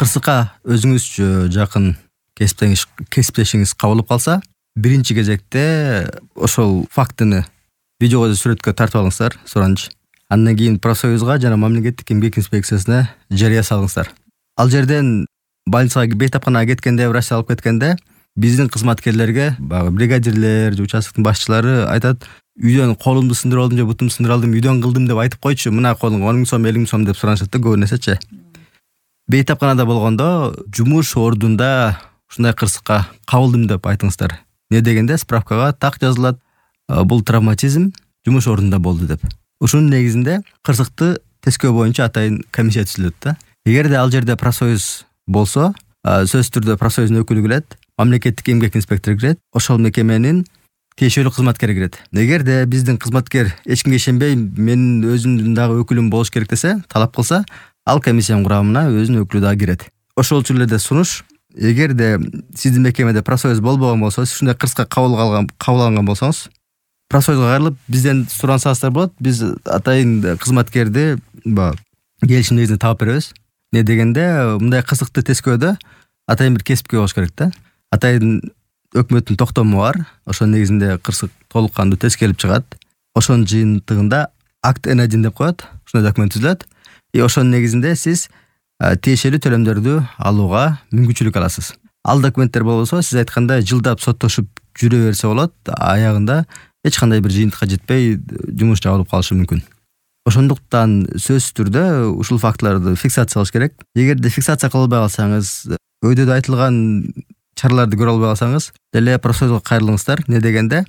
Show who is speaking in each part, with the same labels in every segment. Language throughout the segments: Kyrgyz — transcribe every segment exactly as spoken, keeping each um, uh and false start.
Speaker 1: кырсыкка өзүңүзчө жакын кесиптешиңиз кесиптешиңиз кабылып калса, биринчи кезекте ошол фактыны видеого сүрөткө тартып алыңыздар, суранчы. Андан кийин профсоюзга жана мамлекеттик эмгек инспекциясына жарыя салыңыздар. Ал жерден больницага, бейтапканага кеткенде, врачты алып кеткенде биздин кызматкерлерге, баягы бригадирлер же участоктун башчылары айтат, үйдөн колумду сындырып алдым же бутумду сындырып алдым, үйдөн кылдым деп айтып койчу, мына колуңа он миң сом, элүү миң сом деп суранышат да көп нерсечи. Бейтапканада болгондо жумуш ордунда ушундай кырсыкка кабылдым деп айтыңыздар. Не дегенде справкага так жазылат, бул травматизм жумуш ордунда болду деп. Ушунун негизинде кырсыкты тескөө боюнча атайын комиссия түзүлөт да. Эгерде ал жерде профсоюз болсо, сөзсүз түрдө профсоюздун өкүлү келет, мамлекеттик эмгек инспектору кирет, ошол мекеменин тиешелүү кызматкери кирет. Эгерде биздин кызматкер эч кимге ишенбей, менин өзүмдүн дагы өкүлүм болуш керек десе, талап кылса, ал комиссиянын курамына өзүнүн өкүлү дагы кирет. Ошол үчүн эле сунуш, эгерде сиздин мекемеде профсоюз болбогон болсо, сиз ушундай кырсыкка кабыл алган кабыл алган болсоңуз, профсоюзга кайрылып бизден сурансаңыздар болот. Биз атайын кызматкерди келишим негизинде таап беребиз. Не дегенде, мындай кырсыкты тескөөдө атайын бир кесипке болуш керек да. Атайын өкмөттүн токтому бар. Ошол негизинде кырсык толук кандуу тескелип чыгат. Ошонун жыйынтыгында акт эн один деп коет. Ушундай документ түзүлөт. И ошонун негизинде сиз тиешелүү төлөмдөрдү алууга мүмкүнчүлүк аласыз. Ал документтер болбосо, сиз айткандай жылдап соттошуп жүрө берсе болот. Аягында эч кандай бир жыйынтыкка жетпей жумуш жабылып калышы мүмкүн. Ошондуктан сөзсүз түрдө ушул фактыларды фиксация кылыш керек. Эгерде фиксация кылбай калсаңыз, өйдөдө айтылган чараларды көрө албай калсаңыз, деле профсоюзга кайрылыңыздар. Не дегенде,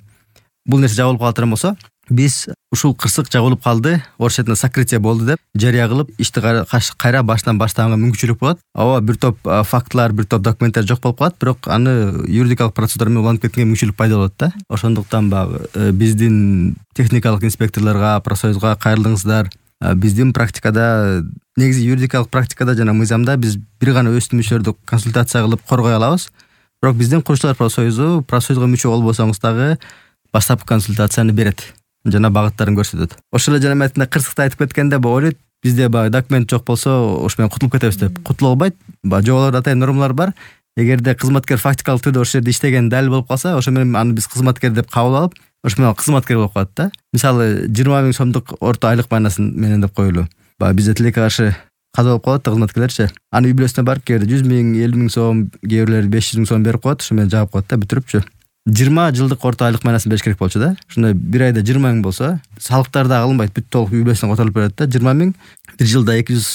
Speaker 1: бул нерсе жабылып калат болсо, биз ушул кырсык жабылып калды, орусча айтканда сокрытие болду деп жарыя кылып, ишти кайра баштан баштаганга мүмкүнчүлүк болот. Ооба, бир топ фактылар, бир топ документтер жок болуп калат, бирок аны юридикалык процедура менен уланып кеткенге мүмкүнчүлүк пайда болот да. Ошондуктан баягы биздин техникалык инспекторлорго, профсоюзга кайрылыңыздар. Биздин практикада, негизи юридикалык практикада жана мыйзамда биз бир гана өз мүчөлөрдү консультация кылып коргой алабыз. Бирок биздин курушчулар профсоюзу, профсоюзга мүчө болбосоңуз дагы баштапкы консультацияны берет жана багыттарын көрсөтөт. Ошол эле жана метинде кырсыкты айтып кеткенде ойлойт, бизде баягы документ жок болсо, ош менен кутулуп кетебиз деп. Кутулуп албайт. Жоболордо атайын нормалар бар. Эгерде кызматкер фактикалык түрдө ошол жерде иштеген далил болуп калса, ошо менен аны биз кызматкер деп кабыл алып, ошо менен кызматкер болуп калат да. Мисалы, жыйырма миң сомдук орто айлык майнасын менен деп коелу. Баягы бизде тилекке каршы каза болуп калат да кызматкерлерчи. Аны үй бүлөсүнө барып, кээде жүз миң, элүү миң сом, кээ бирлери беш жүз миң сом берип коет, ошо менен жаап коет да, бүтүрүпчү. жыйырма жылдык орто айлык майнасын бериш керек болчу да. Ошондой бир айда жыйырма миң болсо, салыктар да алынбайт, бүт толук үй бүлөсүнө которулуп берет да. жыйырма миң, бир жылда эки жүз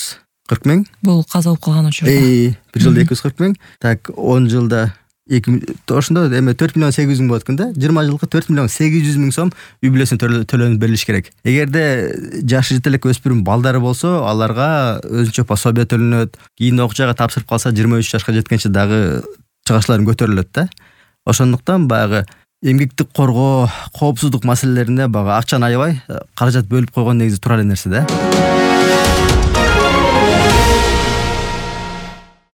Speaker 1: кырк миң.
Speaker 2: Бул каза болуп калган учурда.
Speaker 1: Э, бир жылда эки жүз кырк миң. Так, он жылда эки ошондо эме төрт миллион сегиз жүз миң болот экен да. жыйырма жылга төрт миллион сегиз жүз миң сом үй бүлөсүнө төлөнүп берилиш керек. Эгерде жашы жете элек өспүрүм балдары болсо, аларга өзүнчө пособие төлөнөт. Кийин окуучага тапшырып калса, жыйырма үч жашка жеткенче дагы чыгышларын көтөрүлөт да. Ошондуктан баягы эмгекти коргоо, коопсуздук маселелеринде баягы акчаны аябай каражат бөлүп койгон негизи туура эле нерсе да.